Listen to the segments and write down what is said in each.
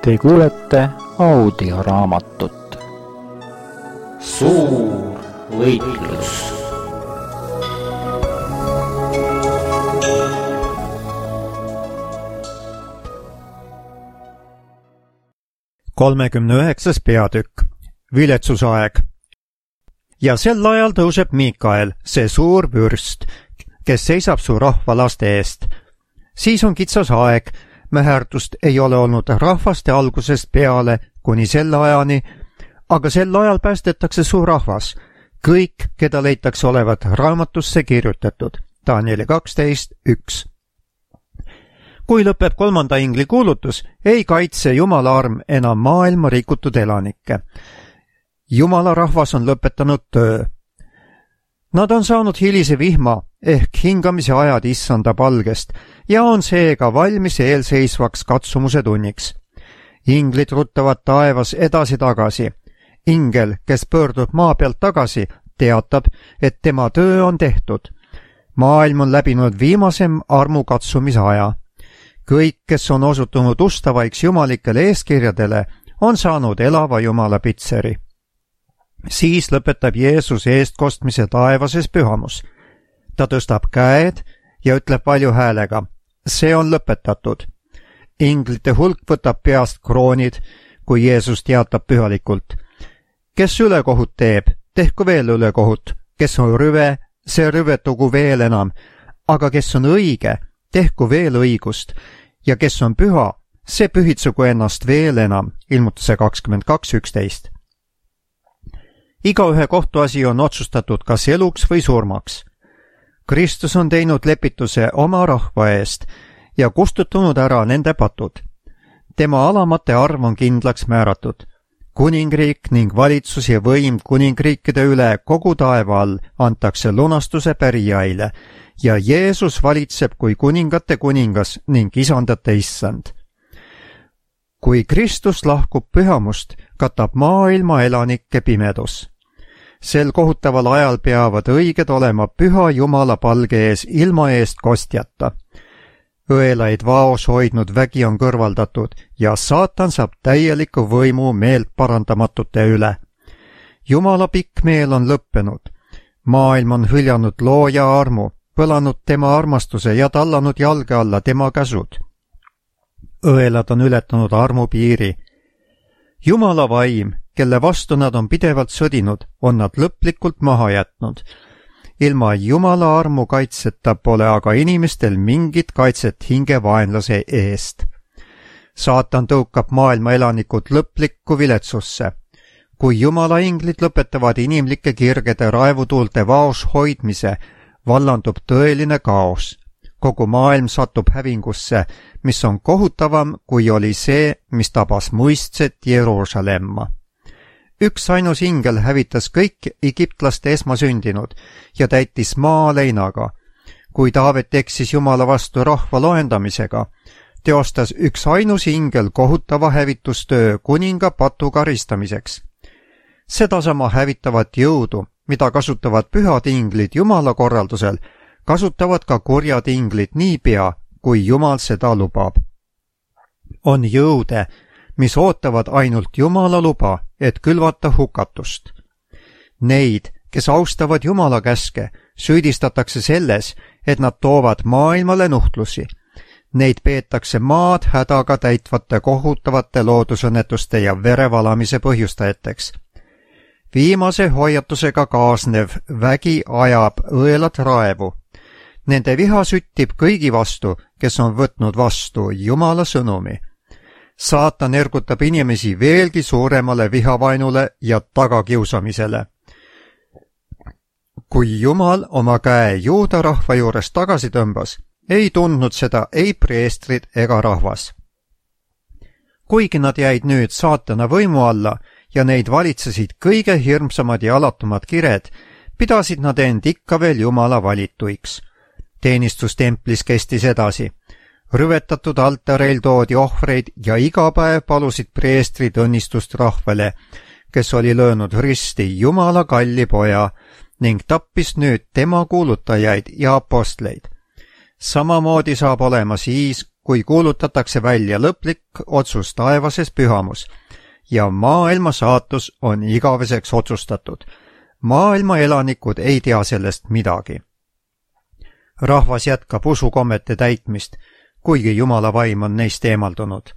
Te kuulete audioraamatut Suur võitlus. Kolmekümne peatükk. Viletsusaeg. Ja sel ajal tõuseb Miikael, see suur vürst, kes seisab su rahva laste eest. Siis on kitsas aeg, mäherdust ei ole olnud rahvaste algusest peale kuni selle ajani, aga sel ajal päästetakse su rahvas, kõik, keda leitakse olevat raamatusse kirjutatud. Danieli 12:1. Kui lõpeb kolmanda ingli kuulutus, ei kaitse Jumala arm enam maailma rikutud elanikke. Jumala rahvas on lõpetanud töö. Nad on saanud hilise vihma ehk hingamise ajad issanda palgest ja on seega valmis eelseisvaks katsumuse tunniks. Inglid ruttavad taevas edasi-tagasi. Ingel, kes pöördub maa pealt tagasi, teatab, et tema töö on tehtud. Maailm on läbinud viimasem armukatsumise aja. Kõik, kes on osutunud ustavaiks jumalikele eeskirjadele, on saanud elava Jumala pitseri. Siis lõpetab Jeesus eestkostmise taevases pühamus. Ta tõstab käed ja ütleb valju häälega, see on lõpetatud. Inglite hulk võtab peast kroonid, kui Jeesus teatab pühalikult. Kes ülekohut teeb, tehku veel ülekohut. Kes on rüve, see rüvetugu veel enam. Aga kes on õige, tehku veel õigust. Ja kes on püha, see pühitsegu ennast veel enam. Ilmutuse 22:11. Igaühe kohtuasi on otsustatud kas eluks või surmaks. Kristus on teinud lepituse oma rahva eest ja kustutanud ära nende patud. Tema alamate arv on kindlaks määratud. Kuningriik ning valitsus ja võim kuningriikide üle kogu taeva all antakse lunastuse pärijaile ja Jeesus valitseb kui kuningate kuningas ning isandate issand. Kui Kristus lahkub pühamust, katab maailma elanikke pimedus. Sel kohutaval ajal peavad õiged olema püha Jumala palge ees ilma eest kostjata. Õelaid vaos hoidnud vägi on kõrvaldatud ja saatan saab täieliku võimu meelt parandamatute üle. Jumala pikk meel on lõppenud. Maailm on hüljanud looja armu, põlanud tema armastuse ja tallanud jalge alla tema käsud. Õelad on ületanud armu piiri. Jumala vaim, kelle vastu nad on pidevalt sõdinud, on nad lõplikult maha jätnud. Ilma Jumala armu kaitseta pole aga inimestel mingit kaitset hingevaenlase eest. Saatan tõukab maailma elanikud lõplikku viletsusse. Kui Jumala inglid lõpetavad inimlike kirgede raevutuulte vaos hoidmise, vallandub tõeline kaos. Kogu maailm satub hävingusse, mis on kohutavam, kui oli see, mis tabas muistset Jeruusalemma. Üks ainus ingel hävitas kõik egiptlaste esmasündinud ja täitis maa leinaga. Kui Taavet eksis Jumala vastu rahva loendamisega, teostas üks ainus ingel kohutava hävitustöö kuninga patu karistamiseks. Sedasama hävitavat jõudu, mida kasutavad pühad inglid Jumala korraldusel, kasutavad ka kurjad inglid niipea, kui Jumal seda lubab. On jõude, mis ootavad ainult Jumala luba, et külvata hukatust. Neid, kes austavad Jumala käske, süüdistatakse selles, et nad toovad maailmale nuhtlusi. Neid peetakse maad hädaga täitvate kohutavate loodusõnnetuste ja verevalamise põhjustajateks. Viimase hoiatusega kaasnev vägi ajab õelad raevu. Nende viha süttib kõigi vastu, kes on võtnud vastu Jumala sõnumi. Saatan ergutab inimesi veelgi suuremale vihavainule ja tagakiusamisele. Kui Jumal oma käe Juuda rahva juures tagasi tõmbas, ei tundnud seda ei preestrid ega rahvas. Kuigi nad jäid nüüd saatana võimu alla ja neid valitsesid kõige hirmsamad ja alatumad kired, pidasid nad end ikka veel Jumala valituiks. Teenistus templis kestis edasi. Rüvetatud altareil toodi ohvreid ja iga päev palusid preestrid õnnistust rahvale, kes oli löönud risti Jumala kalli poja ning tappis nüüd tema kuulutajaid ja apostleid. Samamoodi saab olema siis, kui kuulutatakse välja lõplik otsus taevases pühamus ja maailma saatus on igaveseks otsustatud. Maailma elanikud ei tea sellest midagi. Rahvas jätkab usukommete täitmist, kuigi Jumala vaim on neist eemaldunud.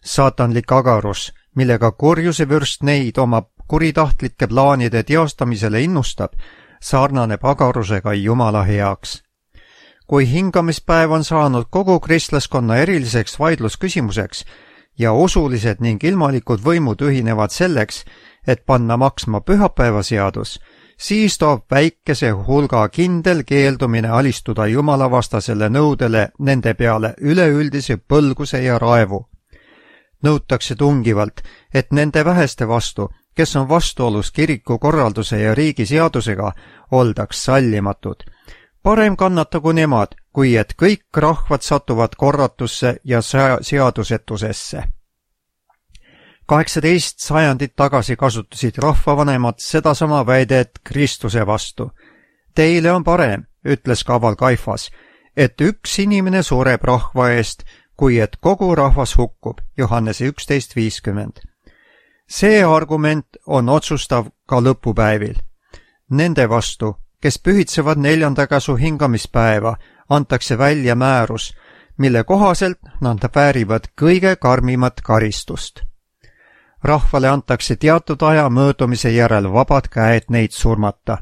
Saatanlik agarus, millega kurjuse vürst neid oma kuritahtlike plaanide teostamisele innustab, sarnaneb agarusega Jumala heaks. Kui hingamispäev on saanud kogu kristlaskonna eriliseks vaidlusküsimuseks ja usulised ning ilmalikud võimud ühinevad selleks, et panna maksma pühapäevaseadus, siis toob väikese hulga kindel keeldumine alistuda jumalavastasele nõudele nende peale üleüldise põlguse ja raevu. Nõutakse tungivalt, et nende väheste vastu, kes on vastuolus kiriku korralduse ja riigi seadusega, oldaks sallimatud. Parem kannatagu nemad, kui et kõik rahvad satuvad korratusse ja seadusetusesse. 18 sajandit tagasi kasutasid rahvavanemad sedasama väidet Kristuse vastu. Teile on parem, ütles kaval Kaifas, et üks inimene sureb rahva eest, kui et kogu rahvas hukkub, Johannese 11.50. See argument on otsustav ka lõpupäevil. Nende vastu, kes pühitsevad 4. käsu hingamispäeva, antakse välja määrus, mille kohaselt nad väärivad kõige karmimat karistust. Rahvale antakse teatud aja möödumise järel vabad käed neid surmata.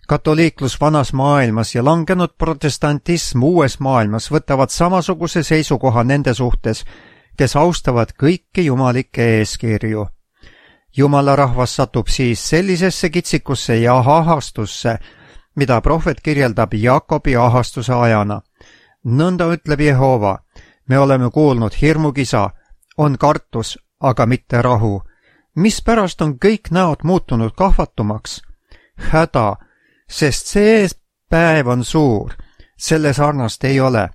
Katoliiklus vanas maailmas ja langenud protestantism uues maailmas võtavad samasuguse seisukoha nende suhtes, kes austavad kõiki jumalikke eeskirju. Jumala rahvas satub siis sellisesse kitsikusse ja ahastusse, mida prohvet kirjeldab Jaakobi ahastuse ajana. Nõnda ütleb Jehova, me oleme kuulnud hirmukisa, on kartus, aga mitte rahu. Mispärast on kõik näod muutunud kahvatumaks? Häda, sest see päev on suur, selle sarnast ei ole.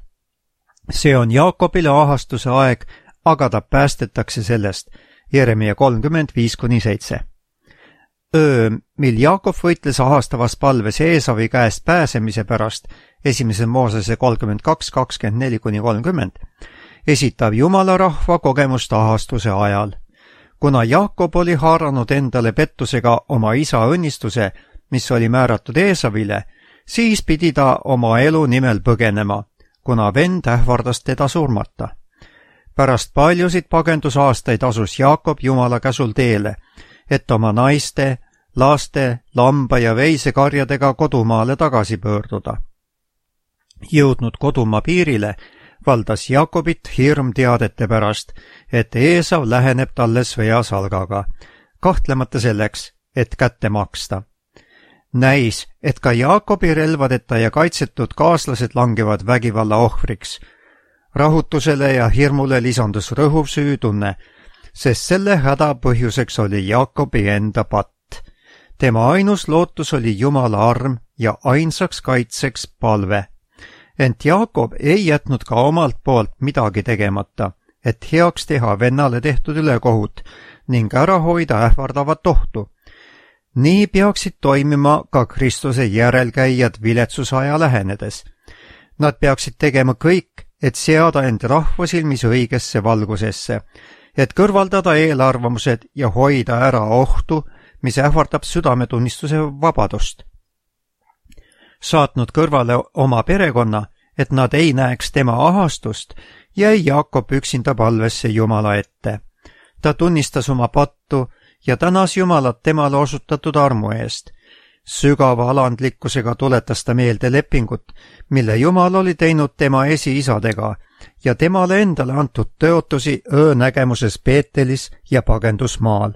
See on Jaakobile ahastuse aeg, aga ta päästetakse sellest. Jeremia 35-7. Öö, mil Jaakob võitles ahastavas palves Eesavi käest pääsemise pärast, 1. Moosese 32-24-30, esitab Jumala rahva kogemust ahastuse ajal. Kuna Jaakob oli haaranud endale pettusega oma isa õnnistuse, mis oli määratud Eesavile, siis pidi ta oma elu nimel põgenema, kuna vend ähvardas teda surmata. Pärast paljusid pagendusaastaid asus Jaakob Jumala käsul teele, et oma naiste, laste, lamba ja veisekarjadega kodumaale tagasi pöörduda. Jõudnud kodumaa piirile, valdas Jaakobit hirm teadete pärast, et Eesav läheneb talle sõjasalgaga, kahtlemata selleks, et kätte maksta. Näis, et ka Jaakobi relvadeta ja kaitsetud kaaslased langevad vägivalla ohvriks. Rahutusele ja hirmule lisandus rõhuv süütunne, sest selle häda põhjuseks oli Jaakobi enda patt. Tema ainus lootus oli Jumala arm ja ainsaks kaitseks palve. Ent Jaakob ei jätnud ka omalt poolt midagi tegemata, et heaks teha vennale tehtud ülekohut ning ära hoida ähvardavat ohtu. Nii peaksid toimima ka Kristuse järelkäijad viletsusaja lähenedes. Nad peaksid tegema kõik, et seada end rahva silmis õigesse valgusesse, et kõrvaldada eelarvamused ja hoida ära ohtu, mis ähvardab südametunnistuse vabadust. Saatnud kõrvale oma perekonna, et nad ei näeks tema ahastust, jäi Jaakob üksinda palvesse Jumala ette. Ta tunnistas oma pattu ja tänas Jumalat temale osutatud armu eest. Sügava alandlikkusega tuletas ta meelde lepingut, mille Jumal oli teinud tema esiisadega ja temale endale antud tõotusi öönägemuses Peetelis ja pagendusmaal.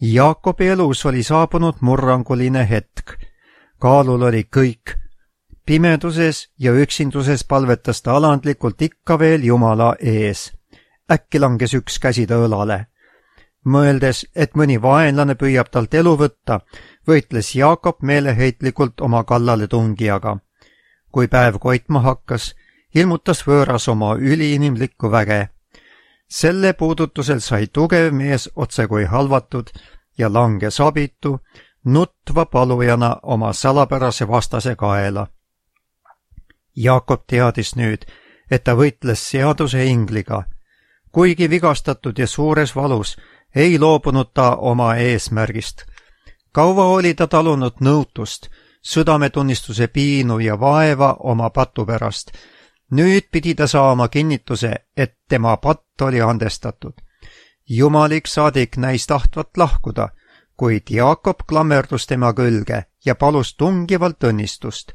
Jaakobi elus oli saabunud murranguline hetk. Kaalul oli kõik. Pimeduses ja üksinduses palvetas ta alandlikult ikka veel Jumala ees. Äkki langes üks käsi ta õlale. Mõeldes, et mõni vaenlane püüab talt elu võtta, võitles Jaakob meeleheitlikult oma kallale tungijaga. Kui päev koitma hakkas, ilmutas võõras oma üliinimlikku väge. Selle puudutusel sai tugev mees otsekui halvatud ja langes abitu, nutva palujana oma salapärase vastase kaela. Jaakob teadis nüüd, et ta võitles seaduse ingliga. kuigi vigastatud ja suures valus, ei loobunud ta oma eesmärgist. kaua oli ta talunud nõutust, südametunnistuse piinu ja vaeva oma patu pärast. nüüd pidi ta saama kinnituse, et tema patt oli andestatud. Jumalik saadik näis tahtvat lahkuda, kuid Jaakob klammerdus tema külge ja palus tungivalt õnnistust.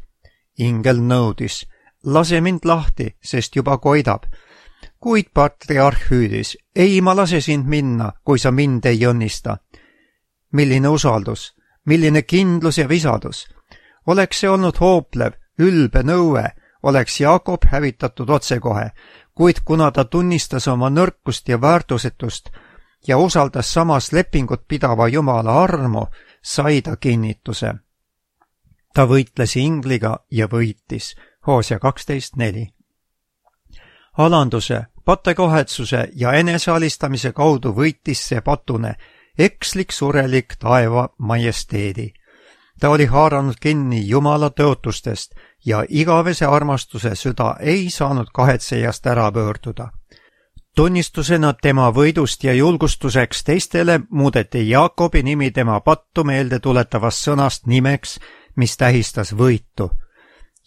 ingel nõudis, lase mind lahti, sest juba koidab. kuid patriarh hüüdis, ei, ma lase sind minna, kui sa mind ei õnnista. milline usaldus, milline kindlus ja visadus. Oleks see olnud hooplev, ülbe nõue, oleks Jaakob hävitatud otsekohe, kuid kuna ta tunnistas oma nõrkust ja väärtusetust ja usaldas samas lepingut pidava Jumala armu, sai ta kinnituse. ta võitles ingliga ja võitis. Hoosea 12:4. alanduse, patekahetsuse ja enesealistamise kaudu võitis see patune, ekslik surelik taeva majesteedi. ta oli haaranud kinni Jumala tõotustest ja igavese armastuse süda ei saanud kahetsejast ära pöörduda. tunnistusena tema võidust ja julgustuseks teistele muudeti Jaakobi nimi tema pattu meelde tuletavast sõnast nimeks, mis tähistas võitu.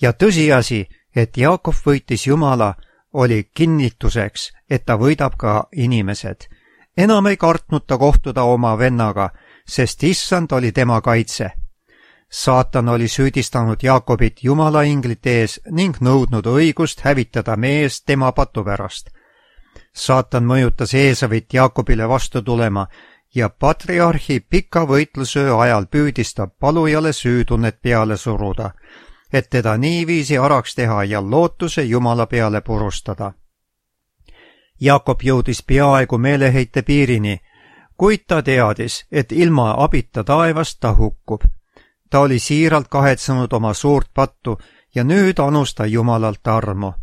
ja tõsiasi, et Jaakob võitis Jumala, oli kinnituseks, et ta võidab ka inimesed. enam ei kartnud ta kohtuda oma vennaga, sest issand oli tema kaitse. saatan oli süüdistanud Jaakobit Jumala inglite ees ning nõudnud õigust hävitada mees tema patu pärast. saatan mõjutas Eesavit Jaakobile vastu tulema ja patriarhi pika võitlusöö ajal püüdis ta palujale süütunnet peale suruda, et teda niiviisi araks teha ja lootuse Jumala peale purustada. Jaakob jõudis peaaegu meeleheite piirini, kuid ta teadis, et ilma abita taevast ta hukkub. ta oli siiralt kahetsenud oma suurt pattu ja nüüd anus ta Jumalalt armu.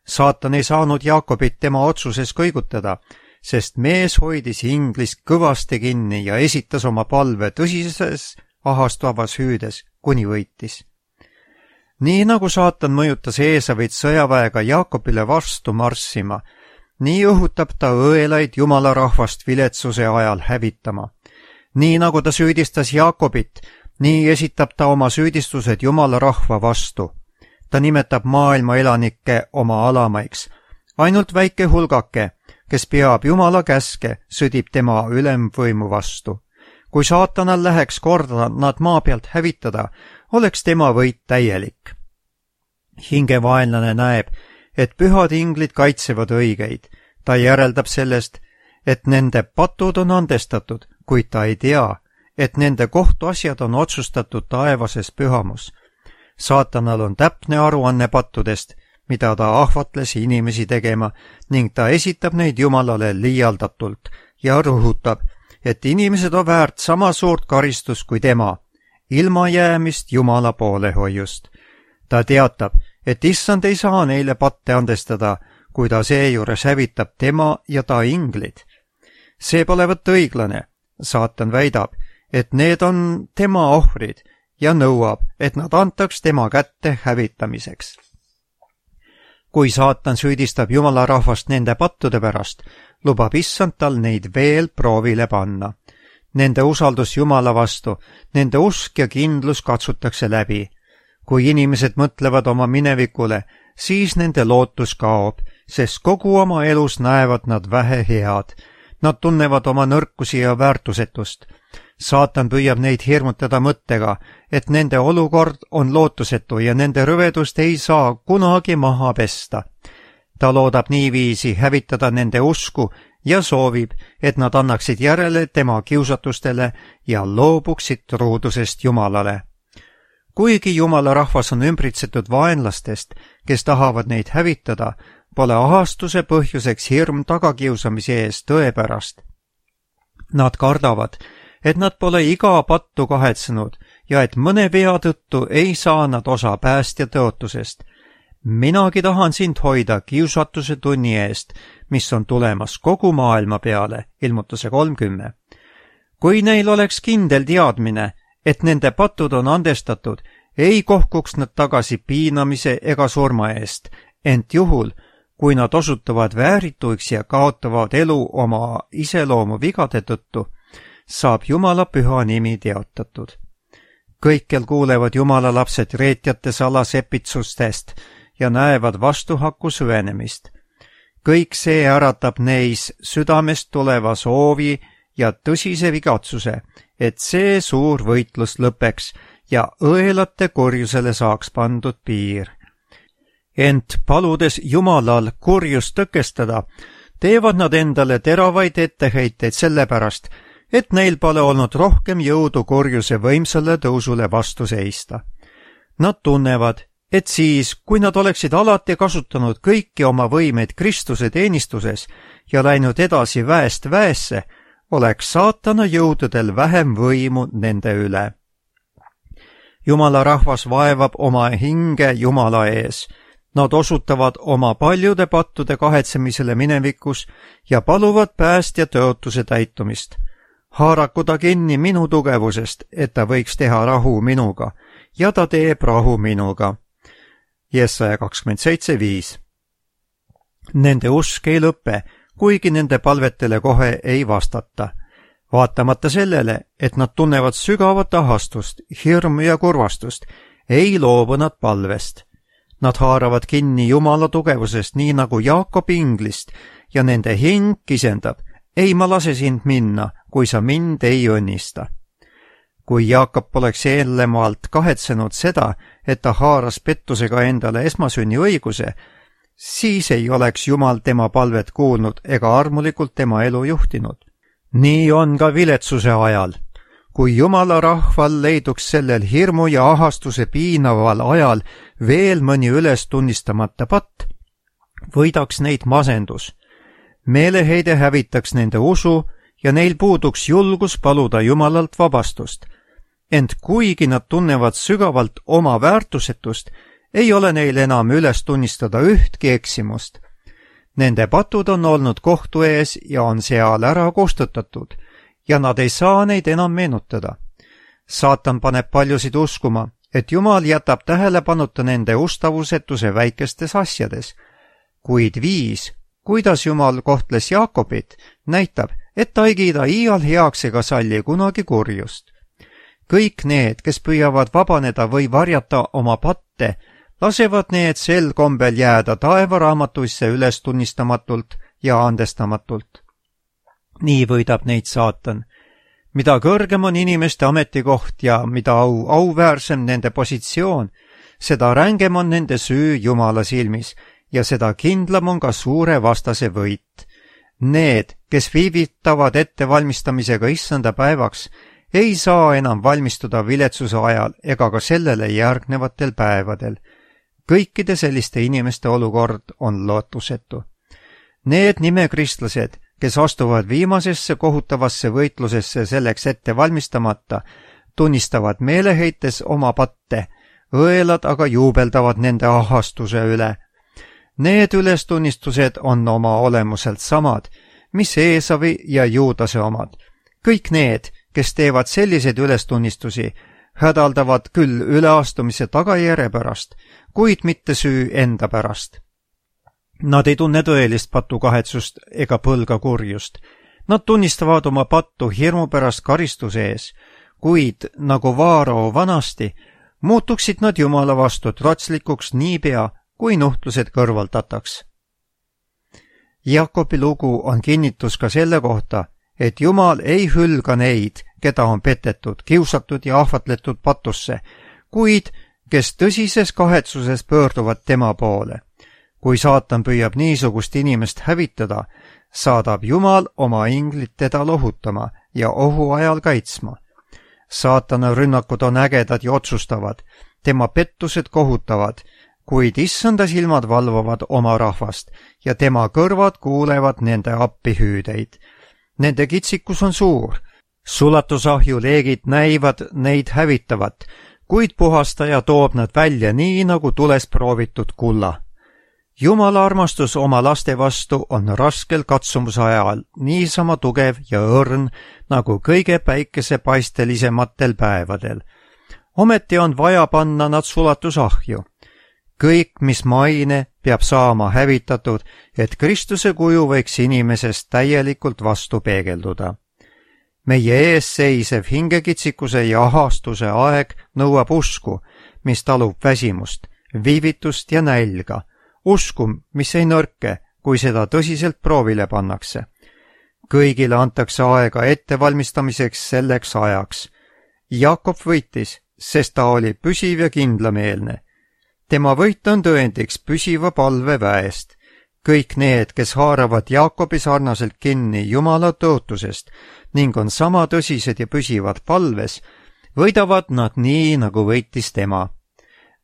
saatan ei saanud Jaakobit tema otsuses kõigutada, sest mees hoidis inglist kõvasti kinni ja esitas oma palve tõsises ahastavas hüüdes, kuni võitis. nii nagu saatan mõjutas Eesavit sõjaväega Jaakobile vastu marssima, nii õhutab ta õelaid Jumala rahvast viletsuse ajal hävitama. nii nagu ta süüdistas Jaakobit, nii esitab ta oma süüdistused Jumala rahva vastu. ta nimetab maailma elanikke oma alamaiks. ainult väike hulgake, kes peab Jumala käske, sõdib tema ülemvõimu vastu. kui saatanal läheks korda nad maa pealt hävitada, oleks tema võit täielik. hingevaenlane näeb, et pühad inglid kaitsevad õigeid. ta järeldab sellest, et nende patud on andestatud, kuid ta ei tea, et nende kohtuasjad on otsustatud taevases pühamus. saatanal on täpne aruanne pattudest, mida ta ahvatles inimesi tegema, ning ta esitab neid Jumalale liialdatult ja rõhutab, et inimesed on väärt sama suurt karistust kui tema, ilma jäämist Jumala poolehoiust. ta teatab, et issand ei saa neile patte andestada, kui ta seejuures hävitab tema ja ta inglid. see pole võtta õiglane. saatan väidab, et need on tema ohvrid ja nõuab, et nad antaks tema kätte hävitamiseks. kui saatan süüdistab Jumala rahvast nende pattude pärast, lubab issand tal neid veel proovile panna. Nende usaldus Jumala vastu, nende usk ja kindlus katsutakse läbi. kui inimesed mõtlevad oma minevikule, siis nende lootus kaob, sest kogu oma elus näevad nad vähe head. Nad tunnevad oma nõrkusi ja väärtusetust. saatan püüab neid hirmutada mõttega, et nende olukord on lootusetu ja nende rõvedust ei saa kunagi maha pesta. ta loodab niiviisi hävitada nende usku ja soovib, et nad annaksid järele tema kiusatustele ja loobuksid truudusest Jumalale. kuigi Jumala rahvas on ümbritsetud vaenlastest, kes tahavad neid hävitada, pole ahastuse põhjuseks hirm tagakiusamise ees tõepärast. Nad kardavad, et nad pole iga pattu kahetsenud ja et mõne vea tõttu ei saa nad osa päästja tõotusest. minagi tahan sind hoida kiusatuse tunni eest, mis on tulemas kogu maailma peale, ilmutuse 30. kui neil oleks kindel teadmine, et nende patud on andestatud, ei kohkuks nad tagasi piinamise ega surma eest, ent juhul, kui nad osutuvad väärituiks ja kaotavad elu oma iseloomu vigade tõttu, saab Jumala püha nimi teotatud. Kõikjal kuulevad Jumala lapsed reetjate salasepitsustest ja näevad vastuhaku süvenemist. Kõik see äratab neis südamest tuleva soovi ja tõsise vigatsuse, et see suur võitlus lõpeks ja õelate kurjusele saaks pandud piir. Ent paludes Jumalal kurjust tõkestada, teevad nad endale teravaid etteheiteid sellepärast, et neil pole olnud rohkem jõudu kurjuse võimsale tõusule vastu seista. Nad tunnevad, et siis, kui nad oleksid alati kasutanud kõiki oma võimeid Kristuse teenistuses ja läinud edasi väest väesse, oleks saatana jõududel vähem võimu nende üle. Jumala rahvas vaevab oma hinge Jumala ees. Nad osutavad oma paljude pattude kahetsemisele minevikus ja paluvad päästja tõotuse täitumist. Haaraku ta kinni minu tugevusest, et ta võiks teha rahu minuga, ja ta teeb rahu minuga. Jesaja 27:5. Nende usk ei lõpe, kuigi nende palvetele kohe ei vastata. Vaatamata sellele, et nad tunnevad sügavat ahastust, hirmu ja kurvastust, ei loobu nad palvest. Nad haaravad kinni Jumala tugevusest, nii nagu Jaakob inglist, ja nende hing kisendab, ei ma lase sind minna, kui sa mind ei õnnista. Kui Jaakob poleks eelnevalt kahetsenud seda, et ta haaras pettusega endale esmasünni õiguse, siis ei oleks Jumal tema palvet kuulnud ega armulikult tema elu juhtinud. Nii on ka viletsuse ajal. Kui Jumala rahval leiduks sellel hirmu ja ahastuse piinaval ajal veel mõni üles tunnistamata patt, võidaks neid masendus. Meeleheide hävitaks nende usu ja neil puuduks julgus paluda Jumalalt vabastust. Ent kuigi nad tunnevad sügavalt oma väärtusetust, ei ole neil enam üles tunnistada ühtki eksimust. Nende patud on olnud kohtu ees ja on seal ära kustutatud, ja nad ei saa neid enam meenutada. Saatan paneb paljusid uskuma, et Jumal jätab tähelepanuta nende ustavusetuse väikestes asjades, kuid viis, kuidas Jumal kohtles Jaakobit, näitab, et ta ei kiida iial heaks ega salli kunagi kurjust. Kõik need, kes püüavad vabaneda või varjata oma patte, lasevad need sel kombel jääda taevaraamatuisse üles tunnistamatult ja andestamatult. Nii võidab neid saatan. Mida kõrgem on inimeste ametikoht ja mida auväärsem nende positsioon, seda rängem on nende süü Jumala silmis ja seda kindlam on ka suure vastase võit. Need, kes viivitavad ettevalmistamisega issanda päevaks, ei saa enam valmistuda viletsuse ajal ega ka sellele järgnevatel päevadel. Kõikide selliste inimeste olukord on lootusetu. Need nimekristlased, kes astuvad viimasesse kohutavasse võitlusesse selleks ette valmistamata, tunnistavad meeleheites oma patte, õelad aga juubeldavad nende ahastuse üle. Need ülestunnistused on oma olemuselt samad, mis Eesavi ja Juudase omad. Kõik need, kes teevad selliseid ülestunnistusi, hädaldavad küll üleastumise tagajärje pärast, kuid mitte süü enda pärast. Nad ei tunne tõelist patukahetsust ega põlga kurjust. Nad tunnistavad oma pattu hirmu pärast karistuse ees, kuid nagu Vaarao vanasti, muutuksid nad Jumala vastu trotslikuks niipea, kui nuhtlused kõrvaldataks. Jaakobi lugu on kinnitus ka selle kohta, et Jumal ei hülga neid, keda on petetud, kiusatud ja ahvatletud patusse, kuid kes tõsises kahetsuses pöörduvad tema poole. Kui saatan püüab niisugust inimest hävitada, saadab Jumal oma inglit teda lohutama ja ohu ajal kaitsma. Saatana rünnakud on ägedad ja otsustavad, tema pettused kohutavad, kuid issanda silmad valvavad oma rahvast ja tema kõrvad kuulevad nende appihüüdeid. Nende kitsikus on suur. Sulatusahju leegid näivad neid hävitavat, kuid puhastaja toob nad välja nii nagu tules proovitud kulla. Jumala armastus oma laste vastu on raskel katsumuse ajal niisama tugev ja õrn nagu kõige päikesepastelisematel päevadel. Ometi on vaja panna nad sulatusahju. Kõik, mis maine, peab saama hävitatud, et Kristuse kuju võiks inimesest täielikult vastu peegelduda. Meie ees seisev hingekitsikuse ja ahastuse aeg nõuab usku, mis talub väsimust, viivitust ja nälga. Usku, mis ei nõrke, kui seda tõsiselt proovile pannakse. Kõigile antakse aega ettevalmistamiseks selleks ajaks. Jakob võitis, sest ta oli püsiv ja kindlameelne. Tema võit on tõendiks püsiva palve väest. Kõik need, kes haaravad Jaakobi sarnaselt kinni Jumala tõotusest ning on sama tõsised ja püsivad palves, võidavad nad nii, nagu võitis tema.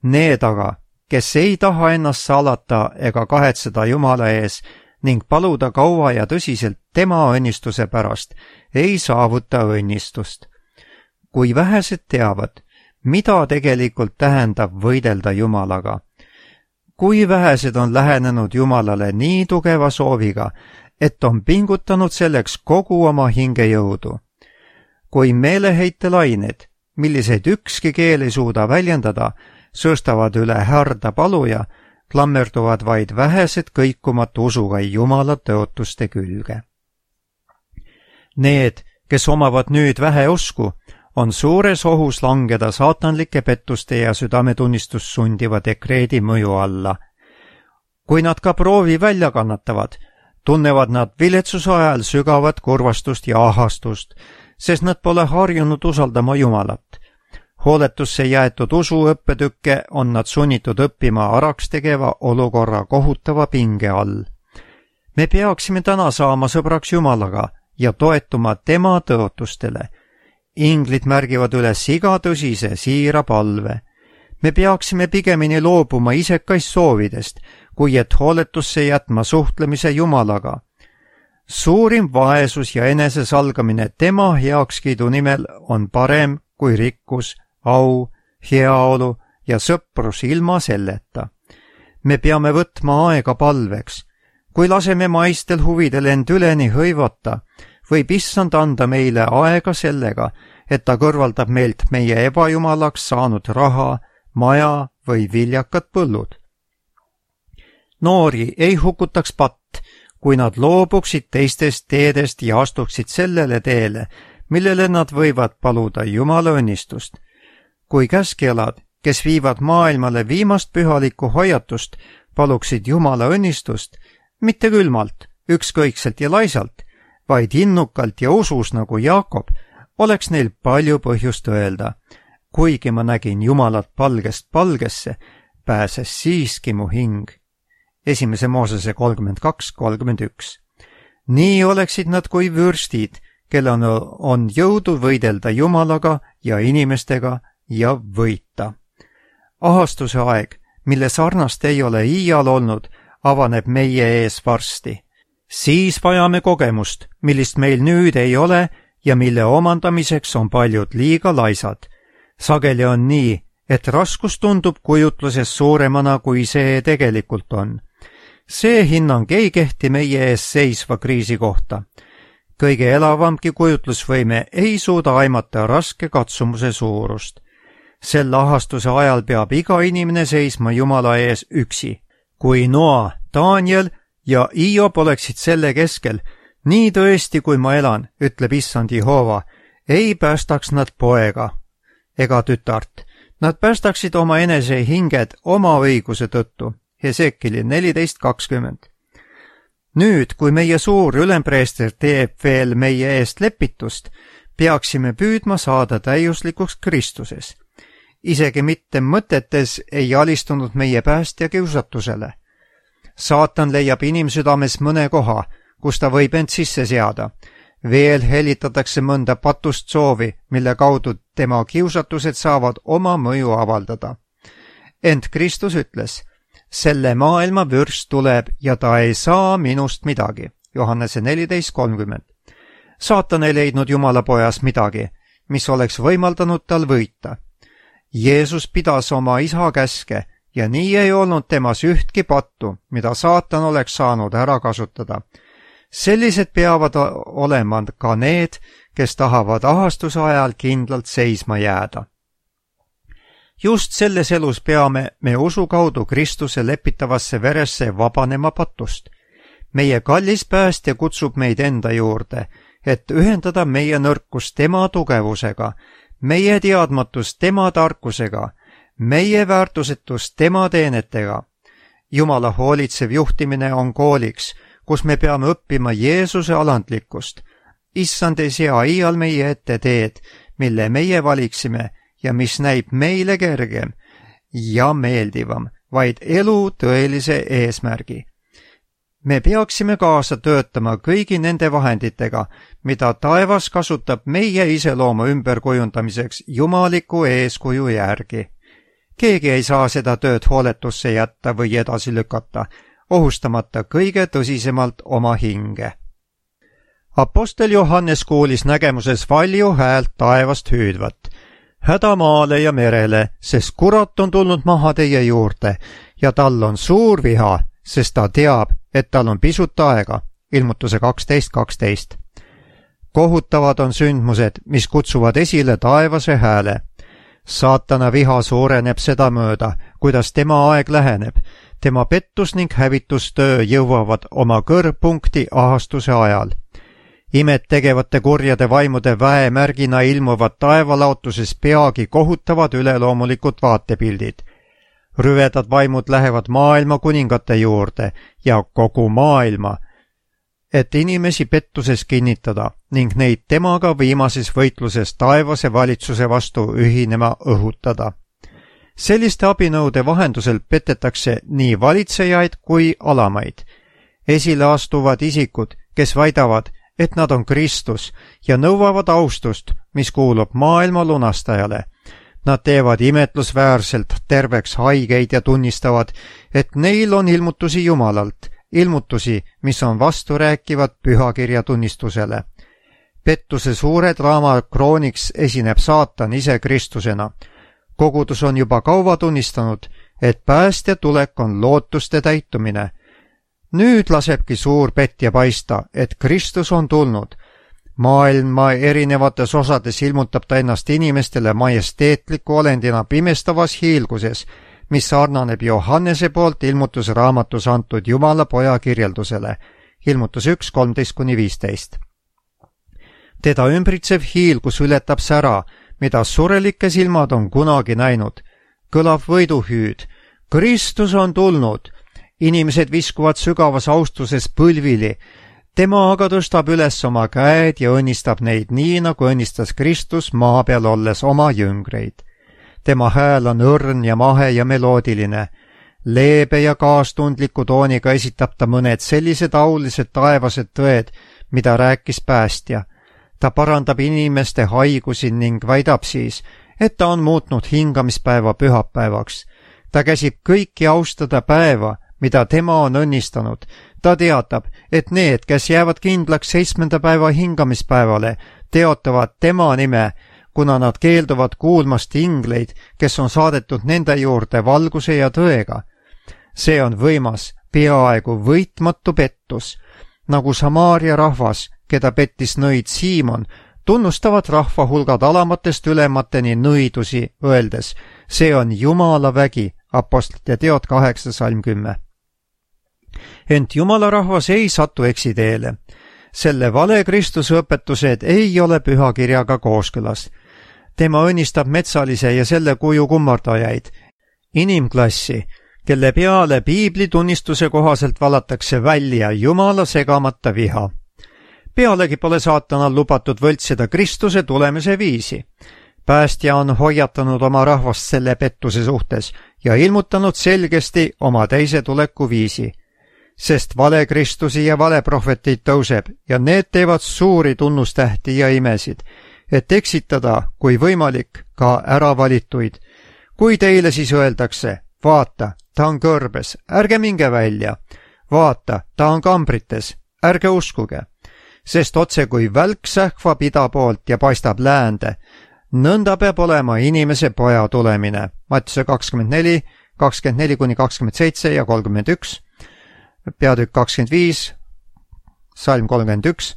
Need aga, kes ei taha ennast salata ega kahetseda Jumala ees ning paluda kaua ja tõsiselt tema õnnistuse pärast, ei saavuta õnnistust. Kui vähesed teavad, mida tegelikult tähendab võidelda Jumalaga. Kui vähesed on lähenenud Jumalale nii tugeva sooviga, et on pingutanud selleks kogu oma hingejõudu. Kui meeleheitelained, milliseid ükski keel ei suuda väljendada, sõstavad üle härda paluja, klammerduvad vaid vähesed kõikumatu usuga Jumala tõotuste külge. Need, kes omavad nüüd vähe usku, on suures ohus langeda saatanlike pettuste ja südametunnistust sundiva dekreedi mõju alla. Kui nad ka proovi välja kannatavad, tunnevad nad viletsuse ajal sügavat kurvastust ja ahastust, sest nad pole harjunud usaldama Jumalat. Hooletusse jäetud usuõppetükke on nad sunnitud õppima araks tegeva olukorra kohutava pinge all. Me peaksime täna saama sõbraks Jumalaga ja toetuma tema tõotustele. Inglid märgivad üles iga tõsise siira palve. Me peaksime pigemini loobuma isekaist soovidest, kui et hooletusse jätma suhtlemise Jumalaga. Suurim vaesus ja enesesalgamine tema heakskiidu nimel on parem kui rikkus, au, heaolu ja sõprus ilma selleta. Me peame võtma aega palveks. Kui laseme maistel huvidel end üleni hõivata, võib issand anda meile aega sellega, et ta kõrvaldab meilt meie ebajumalaks saanud raha, maja või viljakad põllud. Noori ei hukutaks patt, kui nad loobuksid teistest teedest ja astuksid sellele teele, millele nad võivad paluda Jumala õnnistust. Kui käskjalad, kes viivad maailmale viimast pühalikku hoiatust, paluksid Jumala õnnistust, mitte külmalt, ükskõikselt ja laisalt, vaid innukalt ja usus nagu Jaakob, oleks neil palju põhjust öelda. Kuigi ma nägin Jumalat palgest palgesse, pääses siiski mu hing. 1. Moosese 32:31. Nii oleksid nad kui vürstid, kellel on jõudu võidelda Jumalaga ja inimestega ja võita. Ahastuse aeg, mille sarnast ei ole iial olnud, avaneb meie ees varsti. Siis vajame kogemust, millist meil nüüd ei ole ja mille omandamiseks on paljud liiga laisad. Sageli on nii, et raskus tundub kujutluses suuremana, kui see tegelikult on. See hinnang ei kehti meie ees seisva kriisi kohta. Kõige elavamgi kujutlusvõime ei suuda aimata raske katsumuse suurust. Sel ahastuse ajal peab iga inimene seisma Jumala ees üksi. Kui Noa, Daniel ja Hiob oleksid selle keskel, nii tõesti kui ma elan, ütleb issand Jehova, ei päästaks nad poega ega tütart. Nad päästaksid oma enese hinged oma õiguse tõttu. Hesekeli 14:20. Nüüd, kui meie suur ülempreester teeb veel meie eest lepitust, peaksime püüdma saada täiuslikuks Kristuses. Isegi mitte mõtetes ei alistunud meie päästja kiusatusele. Saatan leiab inimsüdames mõne koha, kus ta võib end sisse seada. Veel helitatakse mõnda patust soovi, mille kaudu tema kiusatused saavad oma mõju avaldada. Ent Kristus ütles, selle maailma vürst tuleb ja ta ei saa minust midagi. Johannese 14:30. Saatan ei leidnud Jumala pojas midagi, mis oleks võimaldanud tal võita. Jeesus pidas oma isa käske ja nii ei olnud temas ühtki pattu, mida saatan oleks saanud ära kasutada. Sellised peavad olema ka need, kes tahavad ahastuse ajal kindlalt seisma jääda. just selles elus peame me usu kaudu Kristuse lepitavasse veresse vabanema patust. Meie kallis päästja kutsub meid enda juurde, et ühendada meie nõrkus tema tugevusega, meie teadmatus tema tarkusega, meie väärtusetus tema teenetega. Jumala hoolitsev juhtimine on kooliks, kus me peame õppima Jeesuse alandlikkust. Issand ei sea iial meie ette teed, mille meie valiksime ja mis näib meile kergem ja meeldivam, vaid elu tõelise eesmärgi. Me peaksime kaasa töötama kõigi nende vahenditega, mida taevas kasutab meie iseloomu ümberkujundamiseks jumaliku eeskuju järgi. Keegi ei saa seda tööd hooletusse jätta või edasi lükata, ohustamata kõige tõsisemalt oma hinge. Apostel Johannes kuulis nägemuses valju häält taevast hüüdvat. Häda maale ja merele, sest kurat on tulnud maha teie juurde ja tal on suur viha, sest ta teab, et tal on pisut aega. Ilmutuse 12.12. Kohutavad on sündmused, mis kutsuvad esile taevase hääle. Saatana viha suureneb sedamööda, kuidas tema aeg läheneb. Tema pettus ning hävitustöö jõuavad oma kõrgpunkti ahastuse ajal. Imet tegevate kurjade vaimude väemärgina ilmuvad taevalaotuses peagi kohutavad üleloomulikud vaatepildid. Rüvedad vaimud lähevad maailma kuningate juurde ja kogu maailma, et inimesi pettuses kinnitada ning neid temaga viimases võitluses taevase valitsuse vastu ühinema õhutada. Selliste abinõude vahendusel petetakse nii valitsejaid kui alamaid. Esile astuvad isikud, kes väidavad, et nad on Kristus ja nõuavad austust, mis kuulub maailma lunastajale. Nad teevad imetlusväärselt terveks haigeid ja tunnistavad, et neil on ilmutusi Jumalalt, ilmutusi, mis on vasturääkivad pühakirja tunnistusele. Pettuse suure draama krooniks esineb saatan ise Kristusena. Kogudus on juba kaua tunnistanud, et päästja tulek on lootuste täitumine. Nüüd lasebki suur petja paista, et Kristus on tulnud. Maailma erinevates osades ilmutab ta ennast inimestele majesteetliku olendina pimestavas hiilguses, mis sarnaneb Johannese poolt ilmutusraamatus antud Jumala poja kirjeldusele. Ilmutus 1.13-15. Teda ümbritsev hiilgus ületab sära, mida surelike silmad on kunagi näinud. Kõlav võiduhüüd. Kristus on tulnud. Inimesed viskuvad sügavas austuses põlvili. Tema aga tõstab üles oma käed ja õnnistab neid nii, nagu õnnistas Kristus maa peal olles oma jüngreid. Tema hääl on õrn ja mahe ja meloodiline. Leebe ja kaastundliku tooniga esitab ta mõned sellised aulised taevased tõed, mida rääkis päästja. Ta parandab inimeste haigusi ning väidab siis, et ta on muutnud hingamispäeva pühapäevaks. Ta käsib kõiki austada päeva, mida tema on õnnistanud. Ta teatab, et need, kes jäävad kindlaks 7. päeva hingamispäevale, teotavad tema nime, kuna nad keelduvad kuulmast ingleid, kes on saadetud nende juurde valguse ja tõega. See on võimas, peaaegu võitmatu pettus. Nagu Samaaria rahvas, keda pettis nõid Siimon, tunnustavad rahvahulgad alamatest ülemateni nõidusi, öeldes, see on Jumala vägi, Apostlite teod 8.10. Ent Jumala rahvas ei satu eksiteele. Selle vale Kristuse õpetused ei ole pühakirjaga kooskõlas. Tema õnnistab metsalise ja selle kuju kummardajaid, inimklassi, kelle peale piibli tunnistuse kohaselt valatakse välja Jumala segamata viha. Pealegi pole saatanal lubatud võltsida Kristuse tulemise viisi. Päästja on hoiatanud oma rahvast selle pettuse suhtes ja ilmutanud selgesti oma teise tuleku viisi. Sest vale Kristusi ja vale prohveteid tõuseb ja need teevad suuri tunnustähti ja imesid, et eksitada, kui võimalik, ka äravalituid. Kui teile siis öeldakse, vaata, ta on kõrbes, ärge minge välja. Vaata, ta on kambrites, ärge uskuge. Sest otse kui välk sähvab ida poolt ja paistab läände, nõnda peab olema inimese poja tulemine. Mattiuse 24, 24-27 ja 31, peatükk 25, salm 31,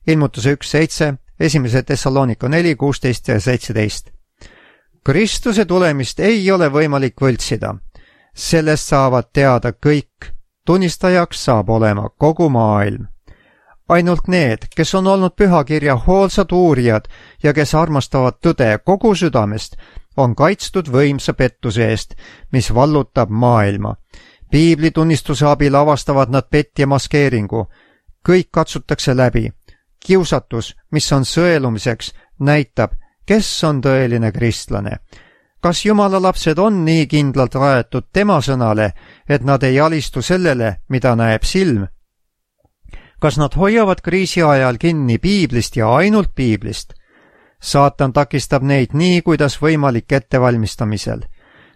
ilmutuse 1.7, 1. Thessalonika 4, 16 ja 17. Kristuse tulemist ei ole võimalik võltsida. Sellest saavad teada kõik. Tunnistajaks saab olema kogu maailm. Ainult need, kes on olnud pühakirja hoolsad uurijad ja kes armastavad tõde kogu südamest, on kaitstud võimsa pettuse eest, mis vallutab maailma. Piibli tunnistuse abil avastavad nad petja maskeeringu. Kõik katsutakse läbi. Kiusatus, mis on sõelumiseks, näitab, kes on tõeline kristlane. Kas Jumala lapsed on nii kindlalt rajatud tema sõnale, et nad ei alistu sellele, mida näeb silm? Kas nad hoiavad kriisi ajal kinni piiblist ja ainult piiblist? Saatan takistab neid nii, kuidas võimalik ettevalmistamisel.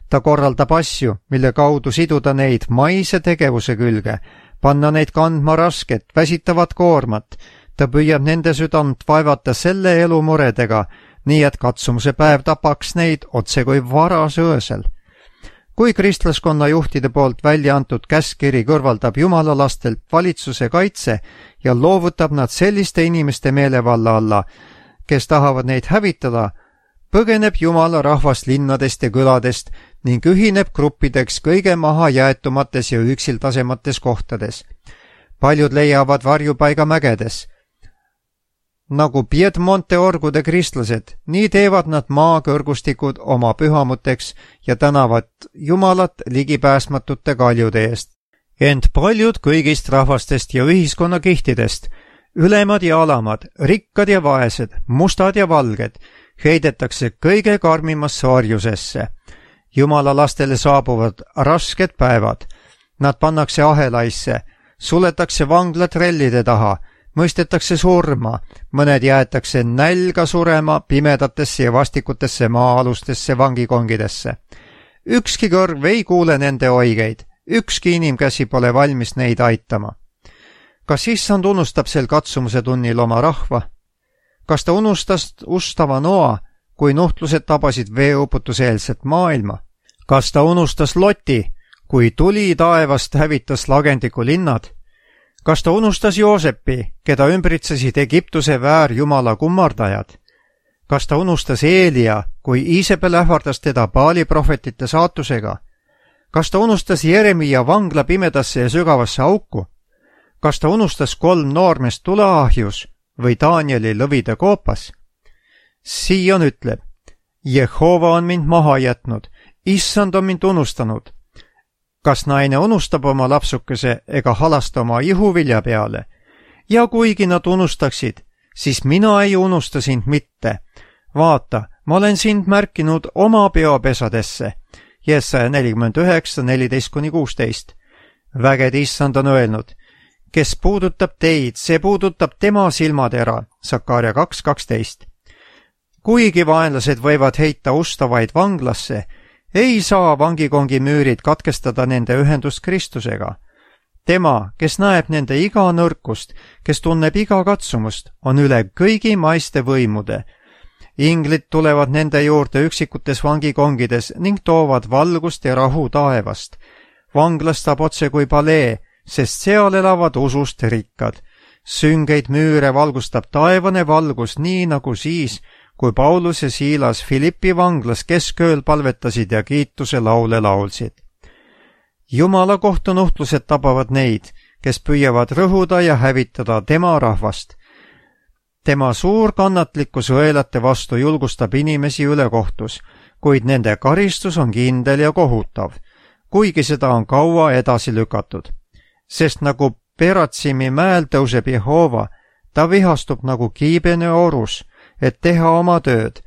Ta korraldab asju, mille kaudu siduda neid maise tegevuse külge, panna neid kandma rasket, väsitavat koormat. Ta püüab nende südant vaevata selle elu muredega, nii et katsumuse päev tapaks neid otse kui varas öösel. Kui kristlaskonna juhtide poolt välja antud käskkiri kõrvaldab Jumala lastelt valitsuse kaitse ja loovutab nad selliste inimeste meelevalla alla, kes tahavad neid hävitada, põgeneb Jumala rahvas linnadest ja küladest ning ühineb gruppideks kõige mahajäetumates ja üksiltasemates kohtades. Paljud leiavad varjupaiga mägedes. Nagu Piedmonte orgude kristlased, nii teevad nad maakõrgustikud oma pühamuteks ja tänavad Jumalat ligipääsmatute kaljude eest. Ent paljud kõigist rahvastest ja ühiskonnakihtidest, ülemad ja alamad, rikkad ja vaesed, mustad ja valged, heidetakse kõige karmimasse orjusesse. Jumala lastele saabuvad rasked päevad. Nad pannakse ahelaisse, suletakse vanglad rellide taha, mõistetakse surma, mõned jäetakse nälga surema pimedatesse ja vastikutesse maa-alustesse vangikongidesse. Ükski kõrv ei kuule nende oigeid, ükski inimkäsi pole valmis neid aitama. Kas issand unustab sel katsumuse tunnil oma rahva? Kas ta unustas ustava Noa, kui nuhtlused tabasid veeuputuseelset maailma? Kas ta unustas Loti, kui tuli taevast hävitas lagendiku linnad? Kas ta unustas Joosepi, keda ümbritsesid Egiptuse väärjumala kummardajad? Kas ta unustas Eelia, kui Iisabel ähvardas teda Baali prohvetite saatusega? Kas ta unustas Jeremia vangla pimedasse ja sügavasse auku? Kas ta unustas 3 noormest tuleahjus või Danieli lõvide koopas? Sion ütleb, Jehova on mind maha jätnud, issand on mind unustanud. Kas naine unustab oma lapsukese ega halasta oma ihuvilja peale? Ja kuigi nad unustaksid, siis mina ei unusta sind mitte. Vaata, ma olen sind märkinud oma peopesadesse. Jesaja 49:14-16. Vägede issand on öelnud, kes puudutab teid, see puudutab tema silmatera. Sakaria 2:12. Kuigi vaenlased võivad heita ustavaid vanglasse, ei saa vangikongi müürid katkestada nende ühendust Kristusega. Tema, kes näeb nende iga nõrkust, kes tunneb iga katsumust, on üle kõigi maiste võimude. Inglid tulevad nende juurde üksikutes vangikongides ning toovad valgust ja rahu taevast. Vanglast saab otse kui palee, sest seal elavad usust rikkad. Süngeid müüre valgustab taevane valgus nii nagu siis, kui Paulus ja Siilas Filippi vanglas keskööl palvetasid ja kiituse laule laulsid. Jumala kohtunuhtlused tabavad neid, kes püüavad rõhuda ja hävitada tema rahvast. Tema suur kannatlikkus õelate vastu julgustab inimesi ülekohtus, kuid nende karistus on kindel ja kohutav, kuigi seda on kaua edasi lükatud. Sest nagu Peratsimi mäel tõuseb Jehova, ta vihastub nagu kiibene orus, et teha oma tööd.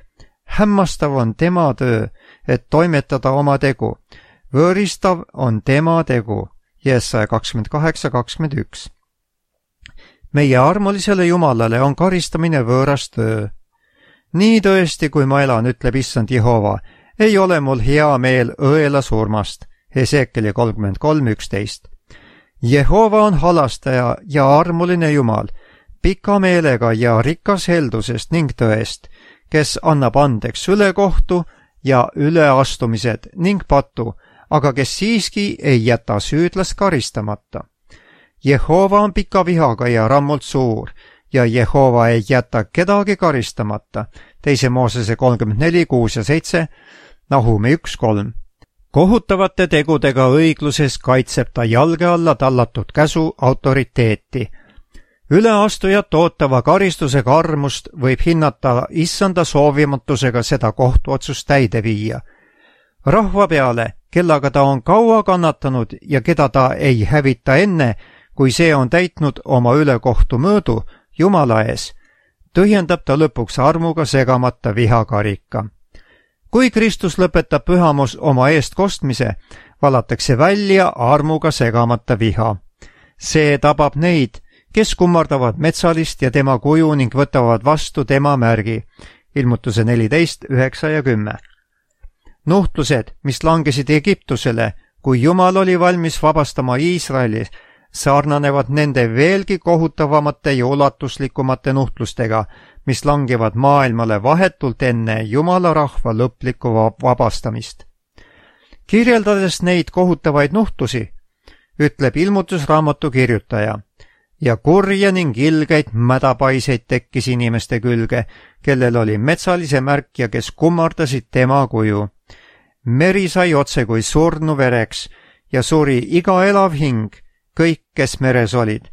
Hämmastav on tema töö, et toimetada oma tegu. Võõristav on tema tegu. Jesaja 28:21. Meie armulisele Jumalale on karistamine võõras töö. Nii tõesti, kui ma elan, ütleb issand Jehova, ei ole mul hea meel õela surmast. Hesekieli 33:11. Jehova on halastaja ja armuline Jumal, pika meelega ja rikas heldusest ning tõest, kes annab andeks ülekohtu ja üleastumised ning patu, aga kes siiski ei jäta süüdlast karistamata. Jehova on pika vihaga ja rammult suur ja Jehova ei jäta kedagi karistamata, teise Moosese 34, 6 ja 7, Nahumi 1, 3. Kohutavate tegudega õigluses kaitseb ta jalge alla tallatud käsu autoriteeti. Üleastujat ootava karistuse karmust võib hinnata issanda soovimatusega seda kohtuotsust täide viia. Rahva peale, kellega ta on kaua kannatanud ja keda ta ei hävita enne, kui see on täitnud oma ülekohtu mõõdu Jumala ees, tühjendab ta lõpuks armuga segamata vihakarika. Kui Kristus lõpetab pühamus oma eest kostmise, valatakse välja armuga segamata viha. See tabab neid, kes kummardavad metsalist ja tema kuju ning võtavad vastu tema märgi. Ilmutuse 14, 9 ja 10. Nuhtlused, mis langesid Egiptusele, kui Jumal oli valmis vabastama Iisraeli, sarnanevad nende veelgi kohutavamate ja ulatuslikumate nuhtlustega, mis langevad maailmale vahetult enne Jumala rahva lõplikku vabastamist. Kirjeldades neid kohutavaid nuhtlusi, ütleb ilmutusraamatu kirjutaja, ja kurja ning ilgeid mädapaiseid tekkis inimeste külge, kellel oli metsalise märk ja kes kummardasid tema kuju. Meri sai otse kui surnu vereks ja suri iga elav hing, kõik, kes meres olid,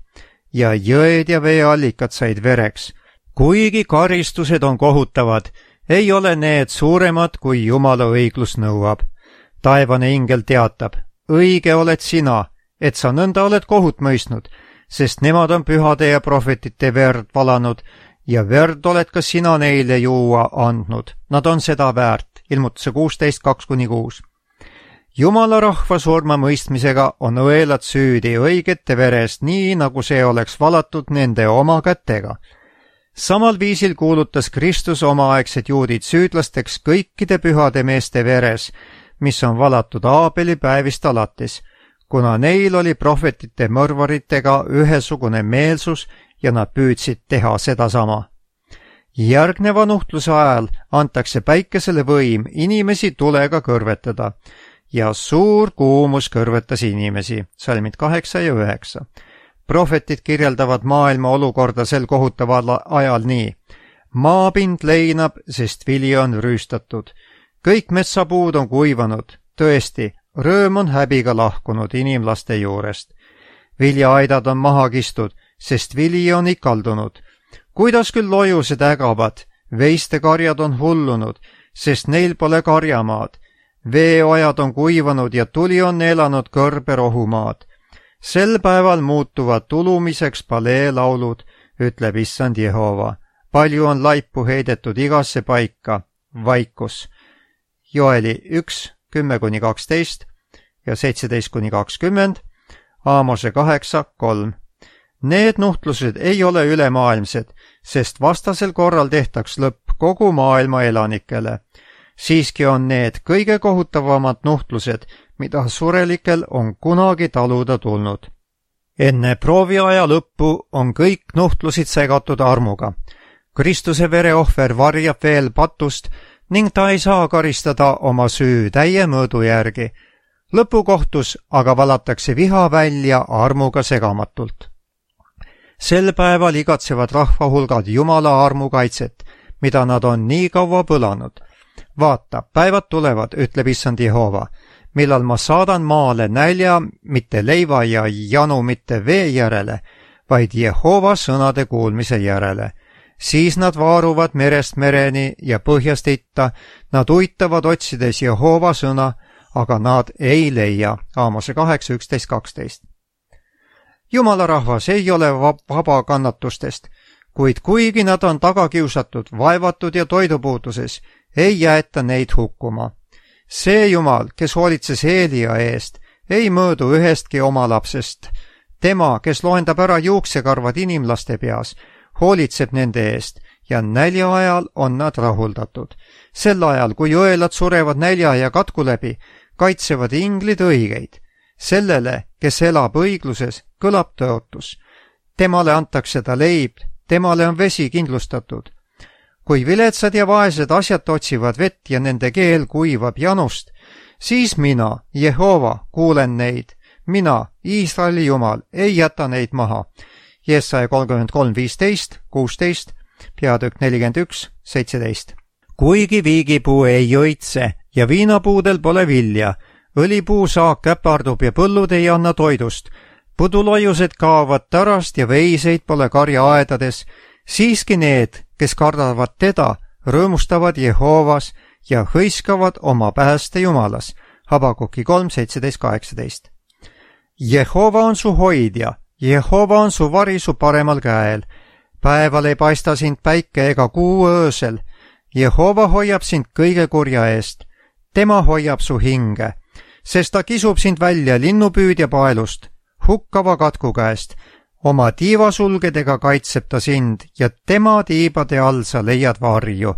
ja jõed ja veeallikad said vereks. Kuigi karistused on kohutavad, ei ole need suuremad, kui Jumala õiglus nõuab. Taevane ingel teatab, õige oled sina, et sa nõnda oled kohut mõistnud, sest nemad on pühade ja prohvetite verd valanud ja verd oled ka sina neile juua andnud. Nad on seda väärt. Ilmutuse 16, 2-6. Jumala rahva surma mõistmisega on õelad süüdi õigete verest, nii nagu see oleks valatud nende oma kätega. Samal viisil kuulutas Kristus omaaegsed juudid süüdlasteks kõikide pühade meeste veres, mis on valatud Aabeli päevist alates, kuna neil oli prohvetite mõrvaritega ühesugune meelsus ja nad püüdsid teha sedasama. Järgneva nuhtluse ajal antakse päikesele võim inimesi tulega kõrvetada ja suur kuumus kõrvetas inimesi, salmid 8 ja 9. Prohvetid kirjeldavad maailma olukorda sel kohutaval ajal nii. Maapind leinab, sest vili on rüüstatud. Kõik metsapuud on kuivanud, tõesti, rõõm on häbiga lahkunud inimlaste juurest. Viljaaidad on maha kistud, sest vili on ikaldunud. Kuidas küll lojused ägavad, veiste karjad on hullunud, sest neil pole karjamaad. Veeojad on kuivanud ja tuli on elanud kõrbe rohumaad. Sel päeval muutuvad tulumiseks paleelaulud, ütleb issand Jehova. Palju on laipu heidetud igasse paika, vaikus. Joeli 1, 10-12 ja 17-20, Aamose 8, 3. Need nuhtlused ei ole ülemaailmsed, sest vastasel korral tehtaks lõpp kogu maailma elanikele. Siiski on need kõige kohutavamad nuhtlused, mida surelikel on kunagi taluda tulnud. Enne prooviaja lõppu on kõik nuhtlusid segatud armuga. Kristuse vereohver varjab veel patust ning ta ei saa karistada oma süü täie mõõdu järgi. Lõpukohtus aga valatakse viha välja armuga segamatult. Sel päeval igatsevad rahvahulgad Jumala armukaitset, mida nad on nii kaua põlanud. Vaata, päevad tulevad, ütleb issand Jehova, millal ma saadan maale nälja mitte leiva ja janu mitte vee järele, vaid Jehova sõnade kuulmise järele. Siis nad vaaruvad merest mereni ja põhjast itta, nad uitavad otsides Jehova sõna, aga nad ei leia. Aamose 8, 11, 12. Jumala rahvas ei ole vaba kannatustest, kuid kuigi nad on tagakiusatud, vaevatud ja toidupuuduses, ei jäeta neid hukkuma. See Jumal, kes hoolitses Eelia eest, ei mõõdu ühestki oma lapsest. Tema, kes loendab ära juuksekarvad inimlaste peas, hoolitseb nende eest ja nälja ajal on nad rahuldatud. Sel ajal, kui õelad surevad nälja ja katku läbi, kaitsevad inglid õigeid. Sellele, kes elab õigluses, kõlab tõotus. Temale antakse ta leib, temale on vesi kindlustatud. Kui viletsad ja vaesed asjad otsivad vett ja nende keel kuivab janust, siis mina, Jehova, kuulen neid. Mina, Iisraeli Jumal, ei jäta neid maha. Jesaja 33, 15, 16, peatükk 41:17. kuigi viigipuu ei õitse ja viinapuudel pole vilja, õlipuu saak käpardub ja põllud ei anna toidust, pudulaiused kaovad tarast ja veiseid pole karjaaedades, siiski need, kes kardavad teda, rõõmustavad Jehoovas ja hõiskavad oma pääste Jumalas. Habakuki 3:17-18. Jehova on su hoidja, Jehova on su vari su paremal käel. Päeval ei paista sind päike ega kuu öösel. Jehova hoiab sind kõige kurja eest. Tema hoiab su hinge, sest ta kisub sind välja linnupüüdja paelust, hukkava katku käest. Oma tiivasulgedega kaitseb ta sind ja tema tiibade all sa leiad varju.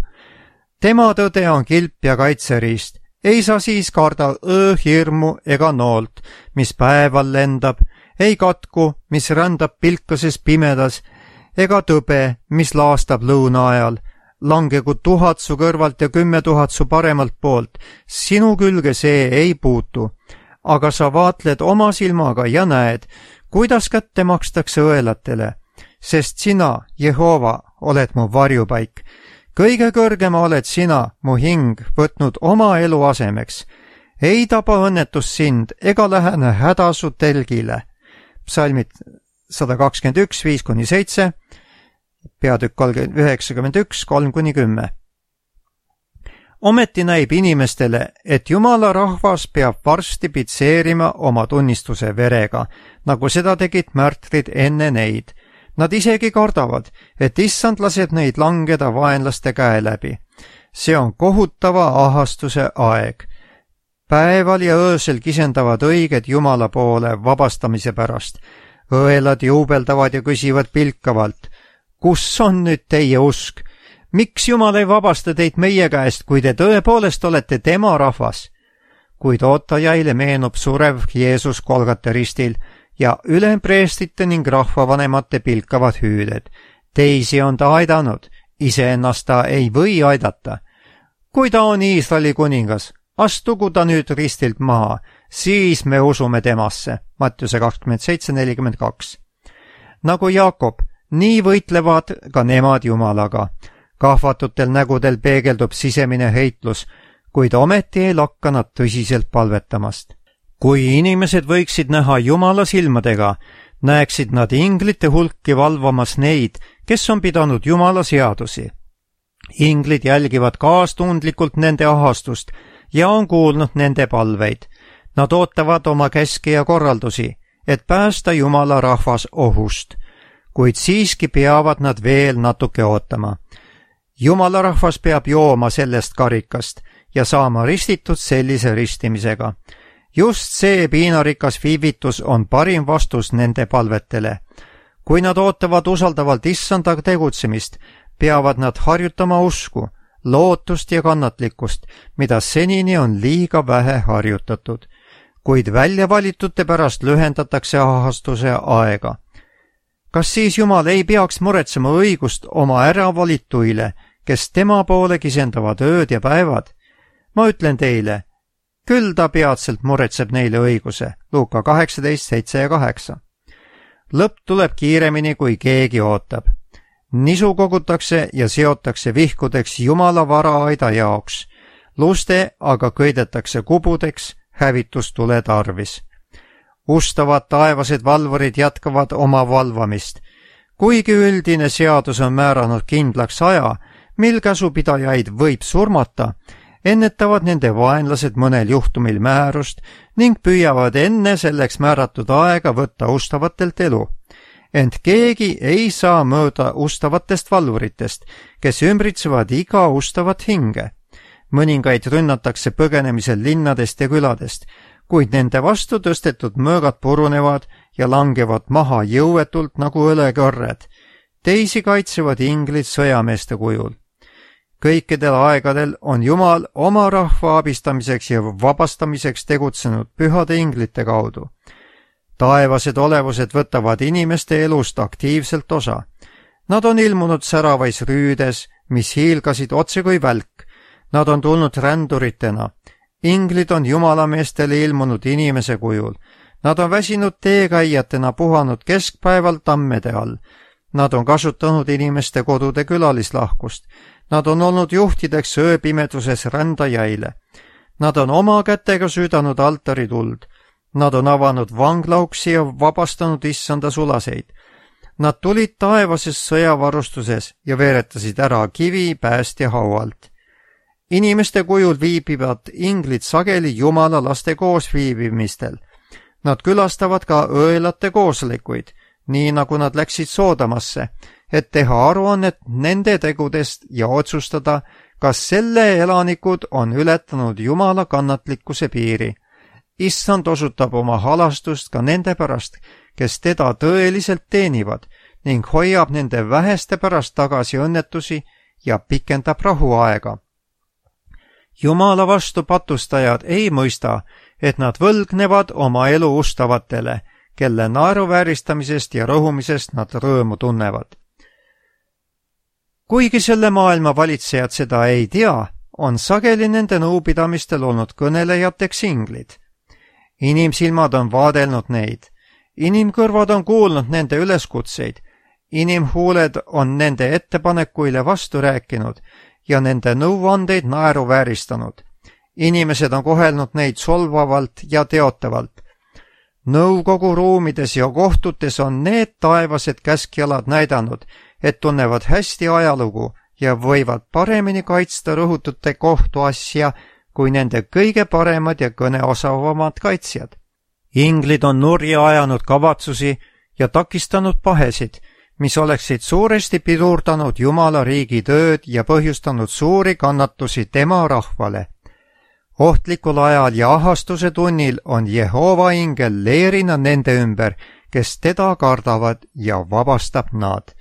Tema tõde on kilp ja kaitseriist. Ei sa siis karda hirmu ega noolt, mis päeval lendab, ei katku, mis rändab pilkases pimedas, ega tõbe, mis laastab lõuna ajal. Langegu 1000 su kõrvalt ja 10 000 su paremalt poolt, sinu külge see ei puutu. Aga sa vaatled oma silmaga ja näed, kuidas kätte makstakse õelatele, sest sina, Jehova, oled mu varjupaik. Kõige kõrgema oled sina, mu hing, võtnud oma elu asemeks. Ei taba õnnetus sind ega lähene häda su telgile. Psalmid 121, 5-7, peatükk 91, 3-10. Ometi näib inimestele, et Jumala rahvas peab varsti pitseerima oma tunnistuse verega, nagu seda tegid märtrid enne neid. Nad isegi kardavad, et issand laseb neid langeda vaenlaste käe läbi. See on kohutava ahastuse aeg. Päeval ja öösel kisendavad õiged Jumala poole vabastamise pärast. Õelad juubeldavad ja küsivad pilkavalt, kus on nüüd teie usk? Miks Jumal ei vabasta teid meie käest, kui te tõepoolest olete tema rahvas? Kuid ootajaile meenub surev Jeesus Golgata ristil ja ülempreestite ning rahvavanemate pilkavad hüüded. Teisi on ta aidanud, iseennast ta ei või aidata. Kui ta on Iisraeli kuningas, astugu ta nüüd ristilt maha, siis me usume temasse. Mattiuse 27:42. Nagu Jaakob, nii võitlevad ka nemad Jumalaga. Kahvatutel nägudel peegeldub sisemine heitlus, kuid ometi ei lakka nad tõsiselt palvetamast. Kui inimesed võiksid näha Jumala silmadega, näeksid nad inglite hulki valvamas neid, kes on pidanud Jumala seadusi. Inglid jälgivad kaastundlikult nende ahastust ja on kuulnud nende palveid. Nad ootavad oma käske ja korraldusi, et päästa Jumala rahvas ohust, kuid siiski peavad nad veel natuke ootama. Jumala rahvas peab jooma sellest karikast ja saama ristitud sellise ristimisega. Just see piinarikas viivitus on parim vastus nende palvetele. Kui nad ootavad usaldavalt issanda tegutsemist, peavad nad harjutama usku, lootust ja kannatlikkust, mida senini on liiga vähe harjutatud. Kuid väljavalitute pärast lühendatakse ahastuse aega. Kas siis Jumal ei peaks muretsema õigust oma äravalituile, kes tema poole kisendavad ööd ja päevad? Ma ütlen teile, küll ta peatselt muretseb neile õiguse. Luuka 18, 7 ja 8. Lõpp tuleb kiiremini, kui keegi ootab. Nisu kogutakse ja seotakse vihkudeks Jumala varaaida jaoks. Luste aga köidetakse kubudeks hävitustule tarvis. Ustavad taevased valvurid jätkavad oma valvamist. Kuigi üldine seadus on määranud kindlaks aja, mil käsupidajaid võib surmata, ennetavad nende vaenlased mõnel juhtumil määrust ning püüavad enne selleks määratud aega võtta ustavatelt elu. Ent keegi ei saa mööda ustavatest valvuritest, kes ümbritsevad iga ustavat hinge. Mõningaid rünnatakse põgenemisel linnadest ja küladest, kuid nende vastu tõstetud mõõgad purunevad ja langevad maha jõuetult nagu õlekõrred. Teisi kaitsevad inglid sõjameeste kujul. Kõikidel aegadel on Jumal oma rahva abistamiseks ja vabastamiseks tegutsenud pühade inglite kaudu. Taevased olevused võtavad inimeste elust aktiivselt osa. Nad on ilmunud säravais rüüdes, mis hiilgasid otse kui välk. Nad on tulnud ränduritena. Inglid on jumalameestele ilmunud inimese kujul. Nad on väsinud teekäijatena puhanud keskpäeval tammede all. Nad on kasutanud inimeste kodude külalislahkust. Nad on olnud juhtideks ööpimeduses rändajaile. Nad on oma kätega süüdanud altarituld. Nad on avanud vanglauksi ja vabastanud issanda sulaseid. Nad tulid taevases sõjavarustuses ja veeretasid ära kivi päästja haualt. Inimeste kujul viibivad inglid sageli jumala laste koosviibimistel. Nad külastavad ka õelate koosolekuid, nii nagu nad läksid Soodamasse, et teha aruannet nende tegudest ja otsustada, kas selle elanikud on ületanud jumala kannatlikkuse piiri. Issand osutab oma halastust ka nende pärast, kes teda tõeliselt teenivad ning hoiab nende väheste pärast tagasi õnnetusi ja pikendab rahuaega. Jumala vastu patustajad ei mõista, et nad võlgnevad oma elu ustavatele, kelle naeruvääristamisest ja rõhumisest nad rõõmu tunnevad. Kuigi selle maailma valitsejad seda ei tea, on sageli nende nõupidamistel olnud kõnelejateks inglid. Inimsilmad on vaadelnud neid, inimkõrvad on kuulnud nende üleskutseid, inimhuuled on nende ettepanekuile vastu rääkinud ja nende nõuandeid naeruvääristanud. Inimesed on kohelnud neid solvavalt ja teotavalt. Nõukogu ruumides ja kohtutes on need taevased käskjalad näidanud, et tunnevad hästi ajalugu ja võivad paremini kaitsta rõhutute kohtuasja kui nende kõige paremad ja kõneosavamad kaitsjad. Inglid on nurja ajanud kavatsusi ja takistanud pahesid, mis oleksid suuresti pidurdanud Jumala riigi tööd ja põhjustanud suuri kannatusi tema rahvale. Ohtlikul ajal ja ahastuse tunnil on Jehova ingel leerina nende ümber, kes teda kardavad ja vabastab nad.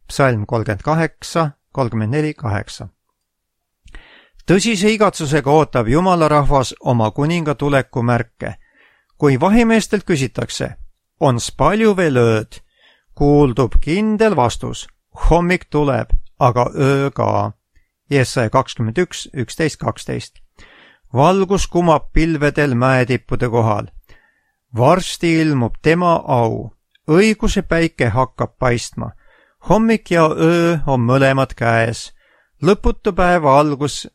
Psalm 38, 34-8. Tõsise igatsusega ootab Jumala rahvas oma kuninga tuleku märke. Kui vahimeestelt küsitakse, ons palju veel ööd, kuuldub kindel vastus, hommik tuleb, aga öö ka. Jesaja 21, 11-12. Valgus kumab pilvedel mäetippude kohal. Varsti ilmub tema au, õiguse päike hakkab paistma. Hommik ja öö on mõlemad käes, lõputu päeva algus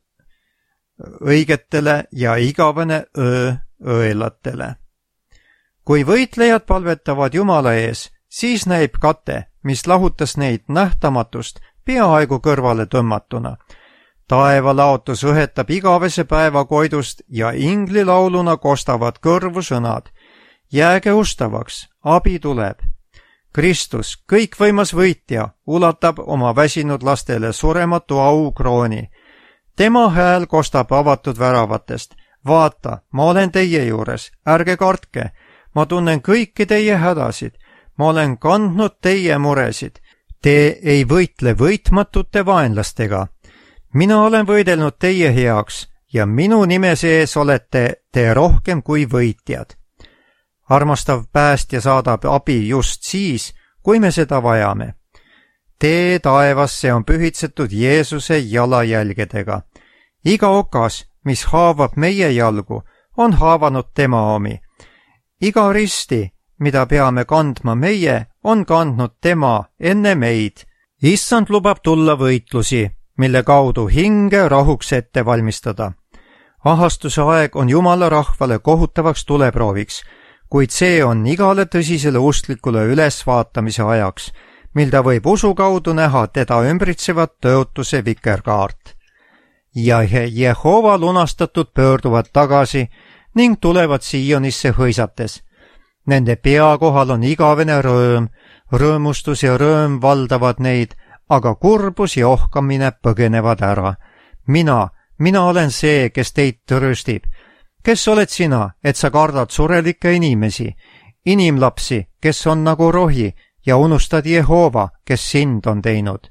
õigetele ja igavene öö õelatele. Kui võitlejad palvetavad Jumala ees, siis näib kate, mis lahutas neid nähtamatust peaaegu kõrvale tõmmatuna. Taevalaotus õhetab igavese päeva koidust ja inglilauluna kostavad kõrvu sõnad. Jääge ustavaks, abi tuleb. Kristus, kõikvõimas võitja, ulatab oma väsinud lastele surematu aukrooni. Tema hääl kostab avatud väravatest. Vaata, ma olen teie juures, ärge kartke. Ma tunnen kõiki teie hädasid. Ma olen kandnud teie muresid. Te ei võitle võitmatute vaenlastega. Mina olen võidelnud teie heaks ja minu nime sees olete te rohkem kui võitjad. Armastav päästja saadab abi just siis, kui me seda vajame. Tee taevasse on pühitsetud Jeesuse jalajälgedega. Iga okas, mis haavab meie jalgu, on haavanud tema omi. Iga risti, mida peame kandma meie, on kandnud tema enne meid. Issand lubab tulla võitlusi, mille kaudu hinge rahuks ette valmistada. Ahastuse aeg on Jumala rahvale kohutavaks tuleprooviks, kuid see on igale tõsisele usklikule ülesvaatamise ajaks, mil ta võib usu kaudu näha teda ümbritsevat tõotuse vikerkaart. Ja Jehova lunastatud pöörduvad tagasi ning tulevad Siionisse hõisates. Nende pea kohal on igavene rõõm, rõõmustus ja rõõm valdavad neid, aga kurbus ja ohkamine põgenevad ära. Mina olen see, kes teid trööstib. Kes oled sina, et sa kardad surelikke inimesi, inimlapsi, kes on nagu rohi, ja unustad Jehova, kes sind on teinud.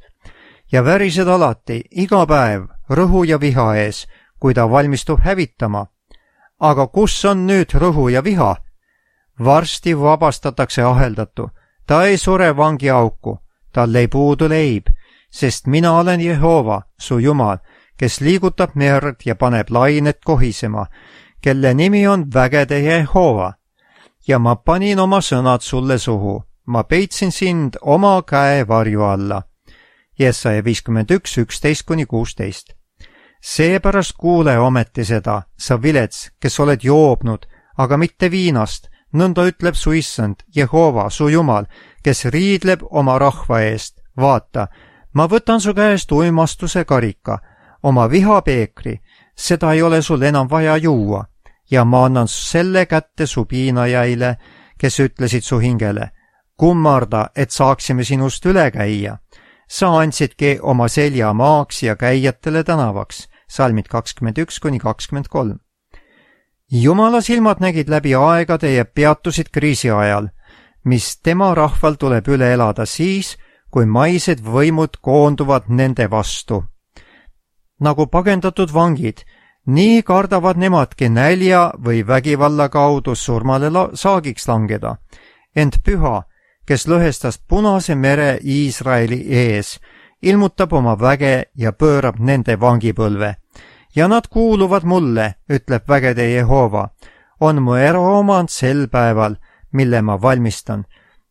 Ja värised alati, iga päev, rõhu ja viha ees, kui ta valmistub hävitama. Aga kus on nüüd rõhu ja viha? Varsti vabastatakse aheldatu. Ta ei sure vangiauku, tal ei puudu leib, sest mina olen Jehova, su Jumal, kes liigutab merd ja paneb lainet kohisema, kelle nimi on vägede Jehova. Ja ma panin oma sõnad sulle suhu, ma peitsin sind oma käe varju alla. Jesaja 51:11-16. Seepärast kuule ometi seda, sa vilets, kes oled joobnud, aga mitte viinast, nõnda ütleb su issand, Jehova, su Jumal, kes riidleb oma rahva eest. Vaata, ma võtan su käest uimastuse karika, oma vihapeekri, seda ei ole sul enam vaja juua, ja ma annan selle kätte su piinajaile, kes ütlesid su hingele, kummarda, et saaksime sinust üle käia. Sa andsidki oma selja maaks ja käijatele tänavaks. Salmid 21-23. Jumala silmad nägid läbi aegade ja peatusid kriisi ajal, mis tema rahval tuleb üle elada siis, kui maised võimud koonduvad nende vastu. Nagu pagendatud vangid, nii kardavad nemadki nälja või vägivalla kaudu surmale saagiks langeda. Ent Püha, kes lõhestas Punase mere Iisraeli ees, ilmutab oma väge ja pöörab nende vangipõlve. Ja nad kuuluvad mulle, ütleb vägede Jehova, on mu eraomand sel päeval, mille ma valmistan,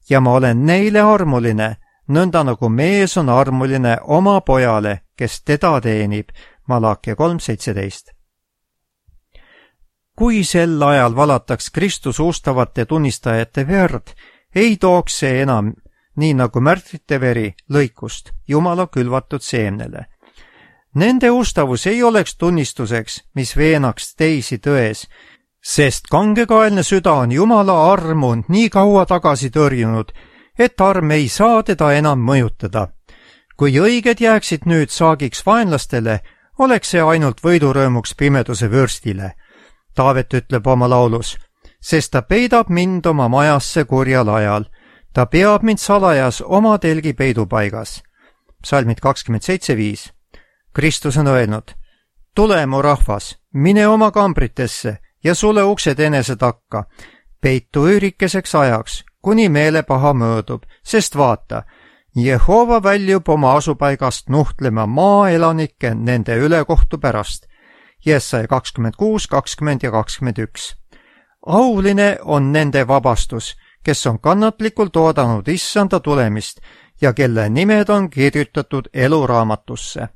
ja ma olen neile armuline, nõnda nagu mees on armuline oma pojale, kes teda teenib. Malakia 3:17. Kui sel ajal valataks Kristus ustavate tunnistajate verd, ei tooks see enam, nii nagu märtrite veri, lõikust Jumala külvatud seemnele. Nende ustavus ei oleks tunnistuseks, mis veenaks teisi tões, sest kangekaelne süda on Jumala armu nii kaua tagasi tõrjunud, et arm ei saa teda enam mõjutada. Kui õiged jääksid nüüd saagiks vaenlastele, oleks see ainult võidurõõmuks pimeduse vürstile. Taavet ütleb oma laulus, sest ta peidab mind oma majasse kurjal ajal. Ta peab mind salajas oma telgi peidupaigas. Psalmid 27:5. Kristus on öelnud, tule mu rahvas, mine oma kambritesse ja sule uksed enese takka. Peitu üürikeseks ajaks, kuni meelepaha möödub, sest vaata, Jehova väljub oma asupaigast nuhtlema maaelanikke nende ülekohtu pärast. Jesaja 26, 20 ja 21. Auline on nende vabastus, kes on kannatlikult oodanud issanda tulemist ja kelle nimed on kirjutatud eluraamatusse.